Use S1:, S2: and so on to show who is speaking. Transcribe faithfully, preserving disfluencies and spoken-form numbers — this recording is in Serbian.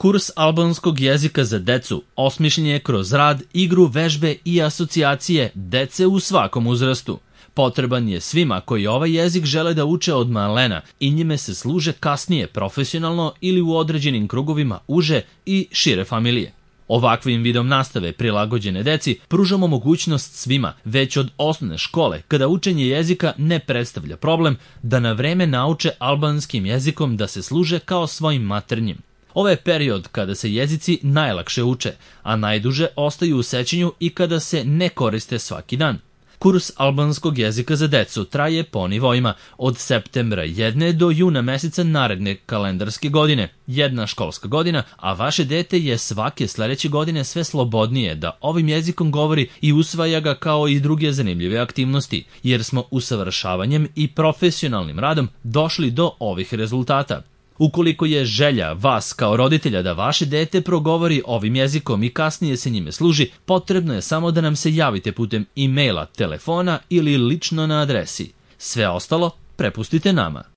S1: Kurs albanskog jezika za decu osmišljen je kroz rad, igru, vežbe i asocijacije dece u svakom uzrastu. Potreban je svima koji ovaj jezik žele da uče od malena i njime se služe kasnije profesionalno ili u određenim krugovima uže i šire familije. Ovakvim vidom nastave prilagođene deci pružamo mogućnost svima, već od osnovne škole, kada učenje jezika ne predstavlja problem, da na vreme nauče albanskim jezikom da se služe kao svojim maternjim. Ovo je period kada se jezici najlakše uče, a najduže ostaju u sećanju i kada se ne koriste svaki dan. Kurs albanskog jezika za decu traje po nivoima od septembra jedne do juna meseca naredne kalendarske godine, jedna školska godina, a vaše dete je svake sledeće godine sve slobodnije da ovim jezikom govori i usvaja ga kao i druge zanimljive aktivnosti, jer smo usavršavanjem i profesionalnim radom došli do ovih rezultata. Ukoliko je želja vas kao roditelja da vaše dete progovori ovim jezikom i kasnije se njime služi, potrebno je samo da nam se javite putem e-maila, telefona ili lično na adresi. Sve ostalo prepustite nama.